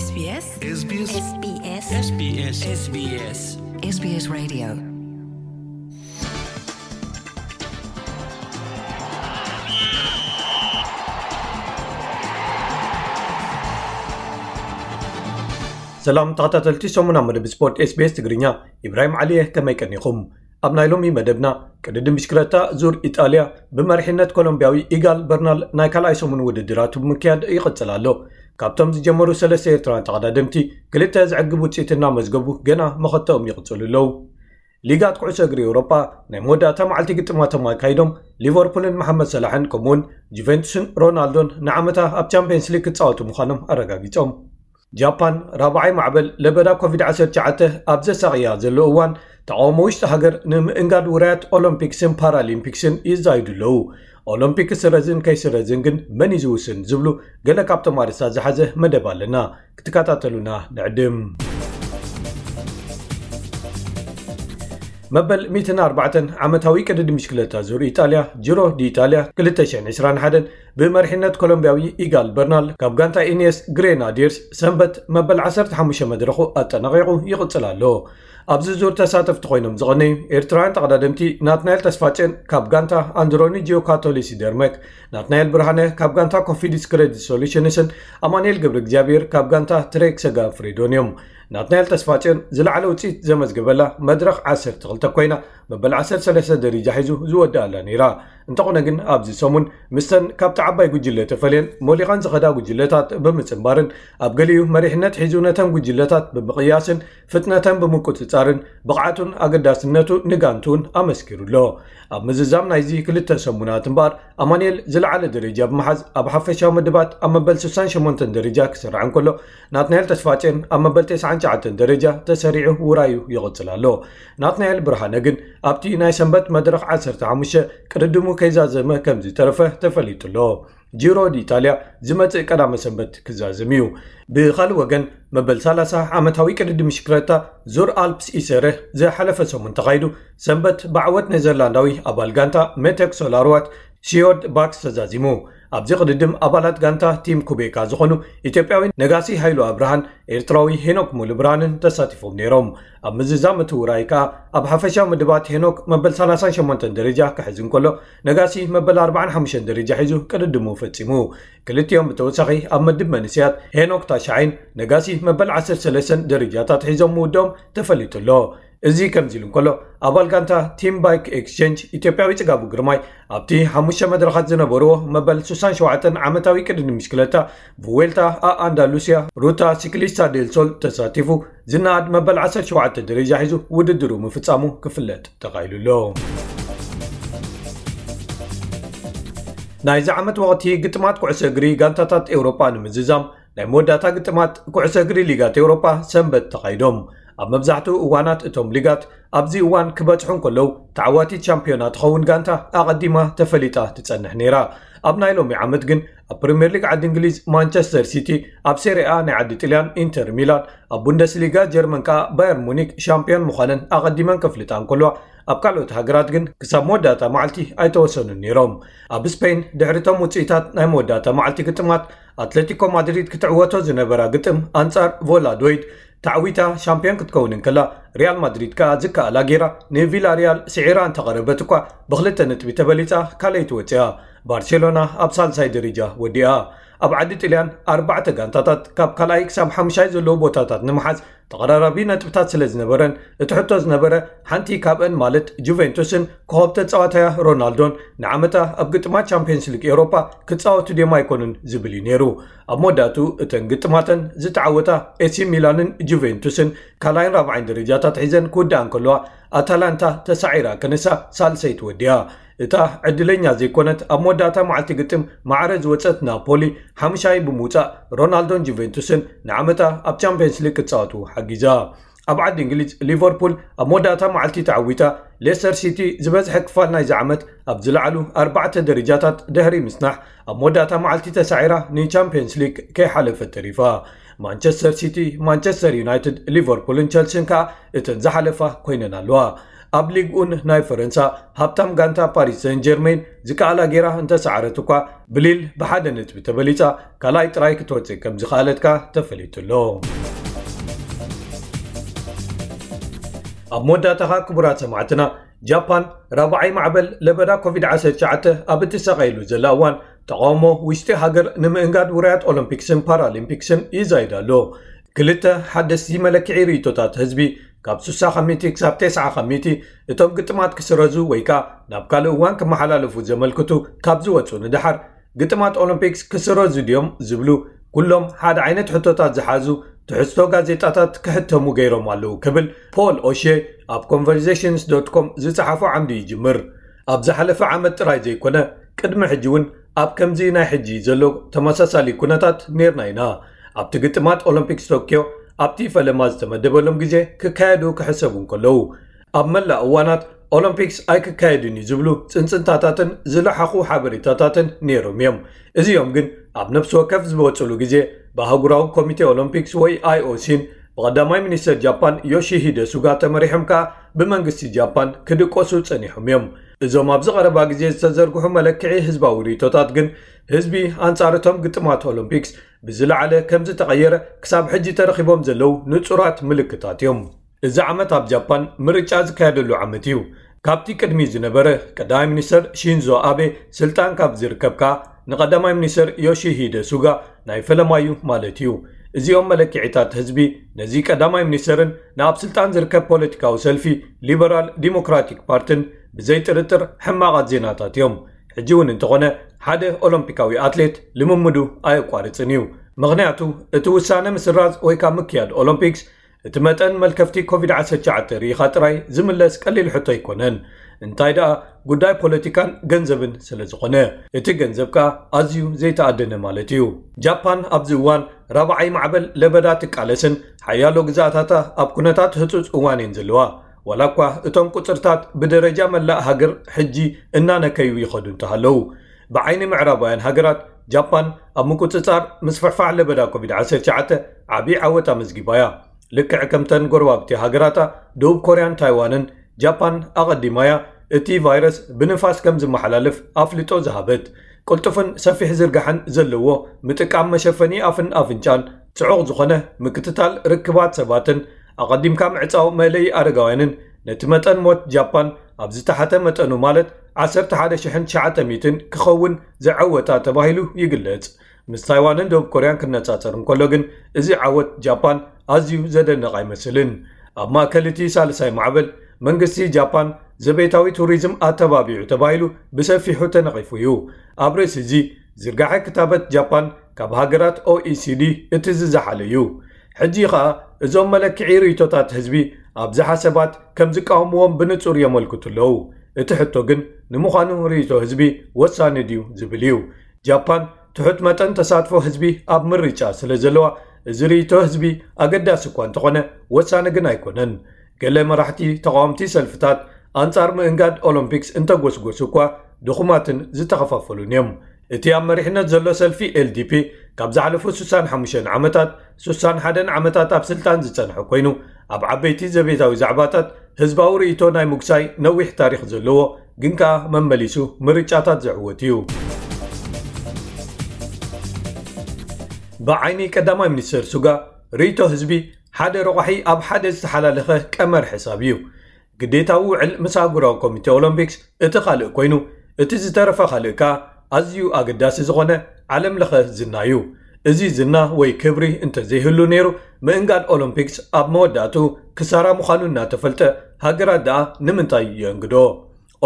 SBS SBS SBS SBS SBS SBS Radio. ሰላም ተኸታተልቲ ሰሙና መደብ ስፖርት SBS ትግርኛ፣ ኢብራሂም ዓሊየ፣ ከመይ ቀኒኹም? ኣብ ናይ ሎሚ መደብና፣ ቅድድም ብሽክለታ ዙር ኢጣልያ ብመሪሕነት ኮሎምቢያዊ ኢጋል በርናል ናይ ካልኣይ ሰሙን ውድድራቱ ብምክያድ ይቕጽል ኣሎ። ካብቶም ዝጀመሩ ሰለስተ ኤርትራውያን ተቐዳደምቲ፣ ክልተ ዘዕግብ ውጽኢት እናመዝገቡ ገና መኸተኦም ይቕጽሉ ኣለዉ። ሊጋት ኩዕሶ እግሪ ኤውሮጳ ናይ መወዳእታ መዓልቲ ግጥማቶም ኣካይዶም፣ ሊቨርፑልን መሓመድ ሰላሕን ከምኡውን ጁቬንቱስን ሮናልዶን ንዓመታ ኣብ ቻምፒየንስ ሊግ ክጻወቱ ምዃኖም ኣረጋጊጾም። ጃፓን ራብዓይ ማዕበል ለበዳ ኮቪድ ዓሰርተ ትሽዓተ ኣብ ዘሳቕያ ዘሎ እዋን፣ ተቓውሞ ውሽጢ ሃገር ንምእንጋድ ውራያት ኦሎምፒክስን ፓራሊምፒክስን ይዛይዱ ኣለዉ። ኦሎምፒክ ክስረዝን ከይስረዝን ግን መን እዩ ዝውስን ዝብሉ ገለ ካብቶም ኣርእስታት ዝሓዘ መደብ ኣለና። ክትከታተሉና ንዕድም። መበል ሚእትን ኣርባዕተን ዓመታዊ ቅድድም ብሽክለታ ዙር ኢጣልያ፣ ጂሮ ዲ ኢጣልያ ክልተ ሽሕን ዕስራን ሓደን ብመሪሕነት ኮሎምቢያዊ ኢጋል በርናል ካብ ጋንታ ኢንየስ ግሬናዲርስ ሰንበት መበል ዓሰርተ ሓሙሽተ መድረኹ ኣጠናቒቑ ይቕጽል ኣሎ። ኣብዚ ዙር ተሳተፍቲ ኮይኖም ዝቐነዩ ኤርትራውያን ተቐዳደምቲ ናትናኤል ተስፋጽዮን ካብ ጋንታ ኣንድሮኒ ጂዮካቶሊ ሲደርመክ፣ ናትናኤል ብርሃነ ካብ ጋንታ ኮፊዲስ ክሬዲት ሶሉሽንስን ኣማኑኤል ገብረ እግዚኣብሔር ካብ ጋንታ ትሬክ ሰጋ ፍሬዶን እዮም። ናትናኤል ተስፋጽዮን ዝለዓለ ውጽኢት ዘመዝገበላ መድረኽ ዓሰርተ ክልተ ኮይና፣ መበል ዓሰርተ ሰለስተ ደረጃ ሒዙ ዝወድኣላ ነይራ። እንተኾነ ግን ኣብዚ ሰሙን ምስተን ካብቲ ዓባይ ጉጅለ ተፈልየን ሞሊቐን ዝኸዳ ጉጅለታት ብምጽንባርን ኣብ ገሊኡ መሪሕነት ሒዙ ነተን ጉጅለታት ብምቕያስን ፍጥነተን ብምቁጽጻርን ብቕዓቱን ኣገዳስነቱ ንጋንቱን ኣመስኪሩ ኣሎ። ኣብ ምዝዛም ናይዚ ክልተ ሰሙናት እምበኣር ኣማኑኤል ዝለዓለ ደረጃ ብምሓዝ ኣብ ሓፈሻዊ ምድባት ኣብ መበል ስሳን ሸሞንተን ደረጃ ክስራዕ እንከሎ፣ ናትናኤል ተስፋጽዮን ኣብ መበል ተስዓን ትሽዓተን ደረጃ ተሰሪዑ ውራዩ ይቕጽል ኣሎ። ናትናኤል ብርሃነ ግን ኣብቲ ናይ ሰንበት መድረኽ ዓሰርተ ሓሙሽተ ቅድድሙ ከይዛዘመ ከም ዝተረፈ ተፈሊጡ ኣሎ። ጂሮ ዲኢጣልያ ዝመጽእ ቀዳመ ሰንበት ክዛዘም እዩ። ብኻልእ ወገን፣ መበል ሰላሳ ዓመታዊ ቅድድም ብሽክለታ ዙር ኣልፕስ ኢሰረ ዝሓለፈ ሰሙን ተኻይዱ፣ ሰንበት ብዓወት ኔዘርላንዳዊ ኣባል ጋንታ ሜቴክ ሶላርዋት፣ ሲዮርድ ባክስ ተዛዚሙ። ኣብዚ ቅድድም ኣባላት ጋንታ ቲም ኩቤካ ዝኾኑ ኢትዮጵያዊ ነጋሲ ሃይሉ ኣብርሃን ኤርትራዊ ሄኖክ ሙሉብርሃንን ተሳቲፎም ነይሮም። ኣብ ምዝዛም እቲ ውራይ ከኣ ኣብ ሓፈሻዊ ምድባት ሄኖክ መበል ሰላሳን ሸሞንተን ደረጃ ክሕዝ እንከሎ፣ ነጋሲ መበል ኣርባዓን ሓሙሽተን ደረጃ ሒዙ ቅድድሙ ፈጺሙ። ክልቲኦም ብተወሳኺ ኣብ ምድብ መንእሰያት ሄኖክ ታሽዓይን ነጋሲ መበል ዓሰርተ ሰለስተን ደረጃታት ሒዞም ምውድኦም ተፈሊጡ ኣሎ። እዚ ከምዚ ኢሉ እንከሎ፣ ኣባል ጋንታ ቲም ባይክ ኤክስቼንጅ ኢትዮጵያዊ ጽጋቡ ግርማይ ኣብቲ ሓሙሽተ መድረኻት ዝነበርዎ መበል ስሳን ሸውዓተን ዓመታዊ ቅድድም ብሽክለታ ቭዌልታ ኣ ኣንዳሉሲያ ሩታ ሲክሊስታ ዴል ሶል ተሳቲፉ ዝነኣድ መበል ዓሰርተ ሸውዓተ ደረጃ ሒዙ ውድድሩ ምፍጻሙ ክፍለጥ ተኻኢሉ ኣሎ። ናይዚ ዓመት ወቕቲ ግጥማት ኩዕሶ እግሪ ጋንታታት ኤውሮጳ ንምዝዛም ናይ መወዳእታ ግጥማት ኩዕሶ እግሪ ሊጋት ኤውሮጳ ሰንበት ተኻይዶም። ኣብ መብዛሕትኡ እዋናት እቶም ሊጋት ኣብዚ እዋን ክበጽሑ እንከለዉ፣ ተዓዋቲት ሻምፒዮና ትኸውን ጋንታ ኣቐዲማ ተፈሊጣ ትጸንሕ ነይራ። ኣብ ናይ ሎሚ ዓመት ግን ኣብ ፕሪምየር ሊግ ዓዲ እንግሊዝ ማንቸስተር ሲቲ፣ ኣብ ሴሪኣ ናይ ዓዲ ጥልያን ኢንተር ሚላን፣ ኣብ ቡንደስሊጋ ጀርመን ከኣ ባየር ሙኒክ ሻምፒዮን ምዃነን ኣቐዲመን ከፍልጣ እንከለዋ፣ ኣብ ካልኦት ሃገራት ግን ክሳብ መወዳእታ መዓልቲ ኣይተወሰኑን ነይሮም። ኣብ ስፔን፣ ድሕሪቶም ውጽኢታት ናይ መወዳእታ መዓልቲ ግጥማት፣ ኣትሌቲኮ ማድሪድ ክትዕወቶ ዝነበራ ግጥም ኣንጻር ቮላዶይድ ተዓዊታ ሻምፒዮን ክትከውን እንከላ፣ ሪያል ማድሪድ ከኣ ዝከኣላ ገይራ ንቪላሪያል ስዒራ እንተቐረበት እኳ፣ ብክልተ ነጥቢ ተበሊጻ ካልኣይቲ ወጺኣ። ባርሴሎና ኣብ ሳልሳይ ደረጃ ወዲኣ። ኣብ ዓዲ ጥልያን ኣርባዕተ ጋንታታት ካብ ካልኣይ ክሳብ ሓምሻይ ዘለዉ ቦታታት ንምሓዝ ተቐራራቢ ነጥብታት ስለ ዝነበረን፣ እቲ ሕቶ ዝነበረ ሓንቲ ካብአን ማለት ጁቬንቱስን ኮኸብ ተጻዋታያ ሮናልዶን ንዓመታ ኣብ ግጥማት ቻምፒየንስ ሊግ ኤውሮፓ ክጻወቱ ድዮም ኣይኮኑን ዝብል እዩ ነይሩ። ኣብ መወዳእቱ እተን ግጥማተን ዝተዓወታ ኤሲ ሚላንን ጁቬንቱስን ካልኣይን ራብዓይን ደረጃታት ሒዘን ክውድኣ እንከለዋ፣ ኣታላንታ ተሳዒራ ከነሳ ሳልሰይቲ ወዲኣ። እታ ዕድለኛ ዘይኮነት ኣብ መወዳእታ መዓልቲ ግጥም ማዕረ ዝወጸት ናፖሊ ሓምሻይ ብምውጻእ፣ ሮናልዶን ጁቬንቱስን ንዓመታ ኣብ ቻምፒየንስ ሊግ ክጻወቱ ሓጊዛ። ኣብ ዓዲ እንግሊዝ፣ ሊቨርፑል ኣብ መወዳእታ መዓልቲ ተዓዊታ፣ ሌስተር ሲቲ ዝበዝሐ ክፋል ናይዚ ዓመት ኣብ ዝለዓሉ ኣርባዕተ ደረጃታት ድሕሪ ምጽናሕ፣ ኣብ መወዳእታ መዓልቲ ተሳዒራ ንቻምፒየንስ ሊግ ከይሓለፈት ተሪፋ። ማንቸስተር ሲቲ፣ ማንቸስተር ዩናይትድ፣ ሊቨርፑልን ቸልሲን ከኣ እተን ዝሓለፋ ኮይነን ኣለዋ። ኣብ ሊግ ኡን ናይ ፈረንሳ ሃብታም ጋንታ ፓሪስ ሰን ጀርሜን ዝከኣላ ጌራ እንተሰዓረት እኳ፣ ብሊል ብሓደ ነጥቢ ተበሊጻ ካልኣይ ጥራይ ክትወጽእ ከም ዝኸኣለት ከኣ ተፈሊጡ ኣሎ። ኣብ መወዳእታኻ ክቡራት ሰማዕትና፣ ጃፓን ራብዓይ ማዕበል ለበዳ ኮቪድ ዓሰርተ ትሽዓተ ኣብ እትሳቐየሉ ዘላ እዋን፣ ተቓውሞ ውሽጢ ሃገር ንምእንጋድ ውራያት ኦሎምፒክስን ፓራሊምፒክስን ይዛይድ ኣሎ። ክልተ ሓደስቲ መለክዒ ርእይቶታት ህዝቢ፣ ካብ ሱሳ ካብ ሚእቲ ክሳብ ተስዓ ካብ ሚእቲ፣ እቶም ግጥማት ክስረዙ ወይ ከኣ ናብ ካልእ እዋን ክመሓላለፉ ዘመልክቱ ካብ ዝወጹ ንደሓር፣ ግጥማት ኦሎምፒክስ ክስረዙ ድዮም ዝብሉ ኩሎም ሓደ ዓይነት ሕቶታት ዝሓዙ ትሕዝቶ ጋዜጣታት ክሕተሙ ገይሮም ኣለዉ ክብል ፖል ኦሼ ኣብ ኮንቨርሴሽንስ ዶት ኮም ዝጸሓፎ ዓምዲ ይጅምር። ኣብ ዝሓለፈ ዓመት ጥራይ ዘይኮነ፣ ቅድሚ ሕጂ እውን ኣብ ከምዚ ናይ ሕጂ ዘሎ ተመሳሳሊ ኩነታት ኔርና ኢና። ኣብቲ ግጥማት ኦሎምፒክስ ቶክዮ ኣብቲ ፈለማ ዝተመደበሎም ግዜ ክካየዱ ክሕሰቡ እንከለዉ፣ ኣብ መላእ እዋናት ኦሎምፒክስ ኣይክካየድን እዩ ዝብሉ ጽንጽንታታትን ዝለሓኹ ሓበሬታታትን ነይሮም እዮም። እዚኦም ግን ኣብ ነፍሲ ወከፍ ዝወጽሉ ግዜ ብኣህጉራዊ ኮሚቴ ኦሎምፒክስ ወይ ኣይኦሲን ብቐዳማይ ሚኒስተር ጃፓን ዮሺሂደ ሱጋ ተመሪሖም ከኣ ብመንግስቲ ጃፓን ክድቆሱ ጸኒሖም እዮም። እዞም ኣብዚ ቀረባ ግዜ ዝተዘርግሑ መለክዒ ህዝባዊ ርእይቶታት ግን ህዝቢ ኣንጻር እቶም ግጥማት ኦሎምፒክስ ብዝለዓለ ከም ዝተቐየረ ክሳብ ሕጂ ተረኺቦም ዘለዉ ንጹራት ምልክታት እዮም። እዚ ዓመት ኣብ ጃፓን ምርጫ ዝካየደሉ ዓመት እዩ። ካብቲ ቅድሚ ዝነበረ ቀዳማይ ሚኒስተር ሺንዞ ኣቤ ስልጣን ካብ ዝርከብ ከኣ ንቀዳማይ ሚኒስተር ዮሺሂደ ሱጋ ናይ ፈለማዩ ማለት እዩ። እዚኦም መለክዒታት ህዝቢ ነዚ ቀዳማይ ሚኒስተርን ንኣብ ስልጣን ዝርከብ ፖለቲካዊ ሰልፊ ሊበራል ዲሞክራቲክ ፓርትን ብዘይጥርጥር ሕማቓት ዜናታት እዮም። ሕጂ እውን እንተኾነ ሓደ ኦሎምፒካዊ ኣትሌት ልምምዱ ኣየቋርጽን እዩ። ምኽንያቱ እቲ ውሳነ ምስራዝ ወይ ካብ ምክያድ ኦሎምፒክስ እቲ መጠን መልከፍቲ ኮቪድ ዓሰርተ ትሽዓተ ርኢኻ ጥራይ ዝምለስ ቀሊል ሕቶ ኣይኮነን። እንታይ ደኣ ጉዳይ ፖለቲካን ገንዘብን ስለ ዝኾነ፣ እቲ ገንዘብ ከኣ ኣዝዩ ዘይተኣደነ ማለት እዩ። ጃፓን ኣብዚ እዋን ራብዓይ ማዕበል ለበዳ ትቃለስን ሓያሎ ግዛኣታታ ኣብ ኩነታት ህጹጽ እዋን እየን ዘለዋ። ዋላ እኳ እቶም ቁጽርታት ብደረጃ መላእ ሃገር ሕጂ እናነከዩ ይኸዱ እንተሃለዉ፣ ብዓይኒ ምዕራባውያን ሃገራት ጃፓን ኣብ ምቁጽጻር ምስፍሕፋሕ ለበዳ ኮቪድ ዓሰርተ ትሽዓተ ዓቢ ዓወት ኣመዝጊባ እያ። ልክዕ ከምተን ጎረባብቲ ሃገራታ ደቡብ ኮርያን ታይዋንን፣ ጃፓን ኣቐዲማ እያ እቲ ቫይረስ ብንፋስ ከም ዝመሓላለፍ ኣፍልጦ ዝሃበት። ቅልጡፍን ሰፊሕ ዝርጋሐን ዘለዎ ምጥቃም መሸፈኒ ኣፍን ኣፍንጫን፣ ጽዑቕ ዝኾነ ምክትታል ርክባት ሰባትን ኣቐዲምካ ምዕጻው መእለዪ ኣረጋውያንን ነቲ መጠን ሞት ጃፓን ኣብ ዝተሓተ መጠኑ ማለት ዓሰርተ ሓደ ሽሕን ትሽዓተ ሚእትን ክኸውን ዝዓወታ ተባሂሉ ይግለጽ። ምስ ታይዋንን ደቡብ ኮርያን ክነጻጸር እንከሎ ግን፣ እዚ ዓወት ጃፓን ኣዝዩ ዘደንቕ ኣይመስልን። ኣብ ማእከል እቲ ሳልሳይ ማዕበል፣ መንግስቲ ጃፓን ዘቤታዊ ቱሪዝም ኣተባቢዑ ተባሂሉ ብሰፊሑ ተነቒፉ እዩ። ኣብ ርእሲ እዚ፣ ዝርጋሐ ክታበት ጃፓን ካብ ሃገራት ኦኢሲዲ እቲ ዝዘሓለ እዩ። ሕጂ ኸኣ እዞም መለክዒ ርእይቶታት ህዝቢ ኣብዝሓ ሰባት ከም ዝቃወምዎም ብንጹር የመልክቱ ኣለዉ። እቲ ሕቶ ግን ንምዃኑ ርእይቶ ህዝቢ ወሳኒ ድዩ ዝብል እዩ። ጃፓን ትሑት መጠን ተሳትፎ ህዝቢ ኣብ ምርጫ ስለ ዘለዋ፣ እዚ ርእይቶ ህዝቢ ኣገዳሲ እኳ እንተኾነ ወሳኒ ግን ኣይኮነን። ገለ መራሕቲ ተቓወምቲ ሰልፍታት ኣንጻር ምእንጋድ ኦሎምፒክስ እንተጎስጎሱ እኳ ድኹማትን ዝተኸፋፈሉን እዮም። እቲ ኣብ መሪሕነት ዘሎ ሰልፊ ኤልዲፒ ካብ ዝሓለፉ ስሳን ሓሙሽተን ዓመታት፣ ስሳን ሓደን ዓመታት ኣብ ስልጣን ዝጸንሐ ኮይኑ፣ ኣብ ዓበይቲ ዘቤታዊ ዛዕባታት ህዝባዊ ርእይቶ ናይ ምጉሳይ ነዊሕ ታሪኽ ዘለዎ፣ ግን ከኣ መመሊሱ ምርጫታት ዘዕወት እዩ። ብዓይኒ ቀዳማይ ሚኒስተር ሱጋ፣ ርእይቶ ህዝቢ ሓደ ረቋሒ ኣብ ሓደ ዝተሓላለኸ ቀመር ሕሳብ እዩ። ግዴታዊ ውዕል ምስ ኣህጉራዊ ኮሚቴ ኦሎምፒክስ እቲ ካልእ ኮይኑ፣ እቲ ዝተረፈ ካልእ ከኣ ኣዝዩ ኣገዳሲ ዝኾነ ዓለም ለኸ ዝና እዩ። እዚ ዝና ወይ ክብሪ እንተዘይህሉ ነይሩ፣ ምእንጋድ ኦሎምፒክስ ኣብ መወዳእቱ ክሳራ ምዃኑ እናተፈልጠ፣ ሃገራት ደኣ ንምንታይ የእንግዶ?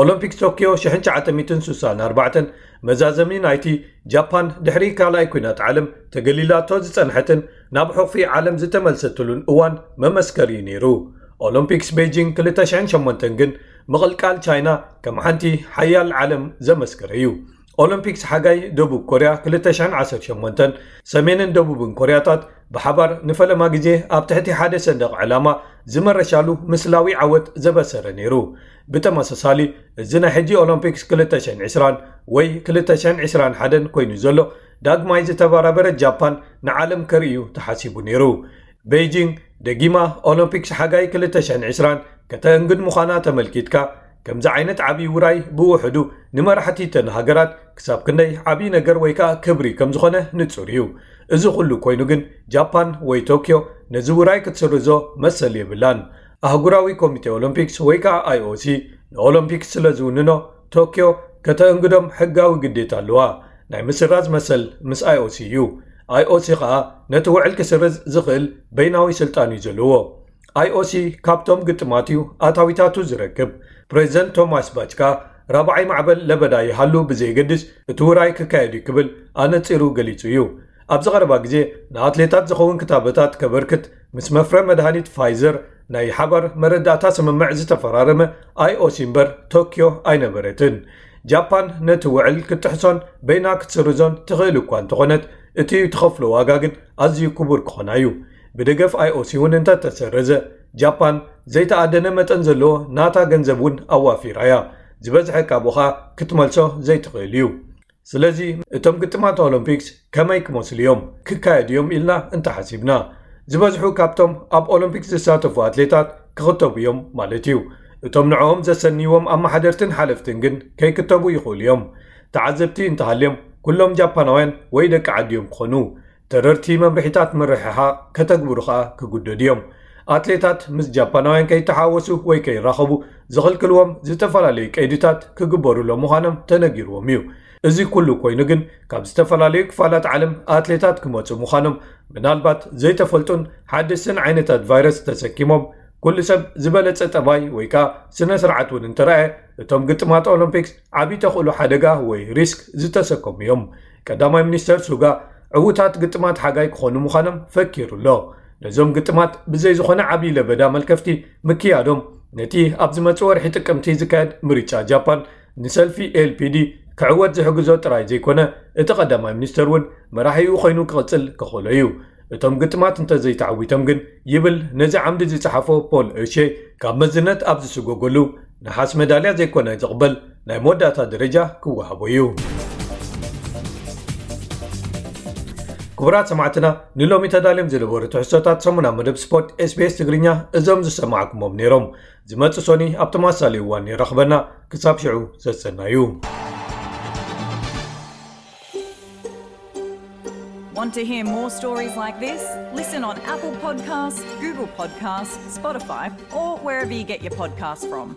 ኦሎምፒክስ ቶክዮ ሽሕን ትሽዓተ ሚእትን ስሳን ኣርባዕተን መዛዘሚ ናይቲ ጃፓን ድሕሪ ካልኣይ ኲናት ዓለም ተገሊላቶ ዝጸንሐትን ናብ ሕቑፊ ዓለም ዝተመልሰትሉን እዋን መመስከሪ እዩ ነይሩ። ኦሎምፒክስ ቤጂንግ ክልተ ሽሕን ሸሞንተን ግን ምቕልቃል ቻይና ከም ሓንቲ ሓያል ዓለም ዘመስከረ እዩ። ኦሎምፒክስ ሓጋይ ደቡብ ኮርያ ክልተ ሽሕን ዓሰርተ ሸሞንተን ሰሜንን ደቡብን ኮርያታት ብሓባር ንፈለማ ግዜ ኣብ ትሕቲ ሓደ ሰንደቕ ዕላማ ዝመረሻሉ ምስላዊ ዓወት ዘበሰረ ነይሩ። ብተመሳሳሊ፣ እዚ ናይ ሕጂ ኦሎምፒክስ ክልተ ሽሕን ዕስራን ወይ ክልተ ሽሕን ዕስራን ሓደን ኮይኑ ዘሎ ዳግማይ ዝተበራበረ ጃፓን ንዓለም ከርእዩ ተሓሲቡ ነይሩ። ቤይጂንግ ደጊማ ኦሎምፒክስ ሓጋይ ክልተ ሽሕን ዕስራን ከተእንግድ ምዃና ተመልኪትካ፣ ከምዚ ዓይነት ዓብዪ ውራይ ብውሕዱ ንመራሕቲ እተን ሃገራት ክሳብ ክንደይ ዓብዪ ነገር ወይ ከኣ ክብሪ ከም ዝኾነ ንጹር እዩ። እዚ ኩሉ ኮይኑ ግን ጃፓን ወይ ቶክዮ ነዚ ውራይ ክትስርዞ መሰል የብላን። ኣህጉራዊ ኮሚቴ ኦሎምፒክስ ወይ ከኣ ኣይኦሲ ንኦሎምፒክስ ስለ ዝውንኖ፣ ቶክዮ ከተእንግዶም ሕጋዊ ግዴታ ኣለዋ። ናይ ምስራዝ መሰል ምስ ኣይኦሲ እዩ። ኣይኦሲ ከኣ ነቲ ውዕል ክስርዝ ዝኽእል በይናዊ ስልጣን እዩ ዘለዎ። ኣይኦሲ ካብቶም ግጥማት እዩ ኣታዊታቱ ዝረክብ። ፕሬዚደንት ቶማስ ባች ከኣ ራብዓይ ማዕበል ለበዳ ይሃሉ ብዘየገድስ እቲ ውራይ ክካየድ እዩ ክብል ኣነጺሩ ገሊጹ እዩ። ኣብዚ ቀረባ ግዜ ንኣትሌታት ዝኸውን ክታበታት ከበርክት ምስ መፍረ መድሃኒት ፋይዘር ናይ ሓባር መረዳእታ ስምምዕ ዝተፈራረመ ኣይኦሲ እምበር ቶክዮ ኣይነበረትን። ጃፓን ነቲ ውዕል ክትጥሕሶን በይና ክትስርዞን ትኽእል እኳ እንተኾነት፣ እቲ ትኸፍሎ ዋጋ ግን ኣዝዩ ክቡር ክኾና እዩ። ብደገፍ ኣይኦሲ እውን እንተተሰረዘ፣ ጃፓን ዘይተኣደነ መጠን ዘለዎ ናታ ገንዘብ እውን ኣዋፊራ እያ። ዝበዝሐ ካብኡ ኸኣ ክትመልሶ ዘይትኽእል እዩ። ስለዚ እቶም ግጥማት ኦሎምፒክስ ከመይ ክመስሉ እዮም? ክካየዱ እዮም ኢልና እንተሓሲብና፣ ዝበዝሑ ካብቶም ኣብ ኦሎምፒክስ ዝሳተፉ ኣትሌታት ክኽተቡ እዮም ማለት እዩ። እቶም ንዕኦም ዘሰንይዎም ኣመሓደርትን ሓለፍትን ግን ከይክተቡ ይኽእሉ እዮም። ተዓዘብቲ እንተሃልዮም፣ ኩሎም ጃፓናውያን ወይ ደቂ ዓዲ እዮም ክኾኑ። ተረርቲ መምርሒታት ምርሕሓቕ ከተግብሩ ኸኣ ክጉደዱ እዮም። ኣትሌታት ምስ ጃፓናውያን ከይተሓወሱ ወይ ከይራኸቡ ዝኽልክልዎም ዝተፈላለዩ ቀይድታት ክግበሩሎም ምዃኖም ተነጊርዎም እዩ። እዚ ኩሉ ኮይኑ ግን፣ ካብ ዝተፈላለዩ ክፋላት ዓለም ኣትሌታት ክመጹ ምዃኖም፣ ምናልባት ዘይተፈልጡን ሓደስትን ዓይነታት ቫይረስ ተሰኪሞም፣ ኩሉ ሰብ ዝበለጸ ጠባይ ወይ ከኣ ስነ ስርዓት እውን እንተረኣየ፣ እቶም ግጥማት ኦሎምፒክስ ዓቢ ተኽእሎ ሓደጋ ወይ ሪስክ ዝተሰከሙ እዮም። ቀዳማይ ሚኒስተር ሱጋ ዕዉታት ግጥማት ሓጋይ ክኾኑ ምዃኖም ፈኪሩ ኣሎ። ነዞም ግጥማት ብዘይ ዝኾነ ዓቢ ለበዳ መልከፍቲ ምክያዶም፣ ነቲ ኣብ ዝመጽእ ወርሒ ጥቅምቲ ዝካየድ ምርጫ ጃፓን ንሰልፊ ኤልፒዲ ክዕወት ዝሕግዞ ጥራይ ዘይኮነ፣ እቲ ቀዳማይ ሚኒስተር እውን መራሒኡ ኮይኑ ክቕጽል ክኽእሎ እዩ። እቶም ግጥማት እንተዘይተዓዊቶም ግን፣ ይብል ነዚ ዓምዲ ዝጸሓፎ ፖል ኦሼ፣ ካብ መዝነት ኣብ ዝስጎገሉ፣ ነሓስ መዳልያ ዘይኮነ ዝቕበል ናይ መወዳእታ ደረጃ ክወሃቦ እዩ። ክቡራት ሰማዕትና፣ ንሎሚ ተዳልዮም ዝነበሩ ትሕዝቶታት ሰሙና መደብ ስፖርት ኤስቢኤስ ትግርኛ እዞም ዝሰማዕኩሞም ነይሮም። ዝመጽእ ሶኒ ኣብ ተመሳሳሊ እዋን ይረኽበና። ክሳብ ሽዑ ሰሰናዩ። Want to hear more stories like this? Listen on Apple Podcasts, Google Podcasts, Spotify, or wherever you get your podcasts from.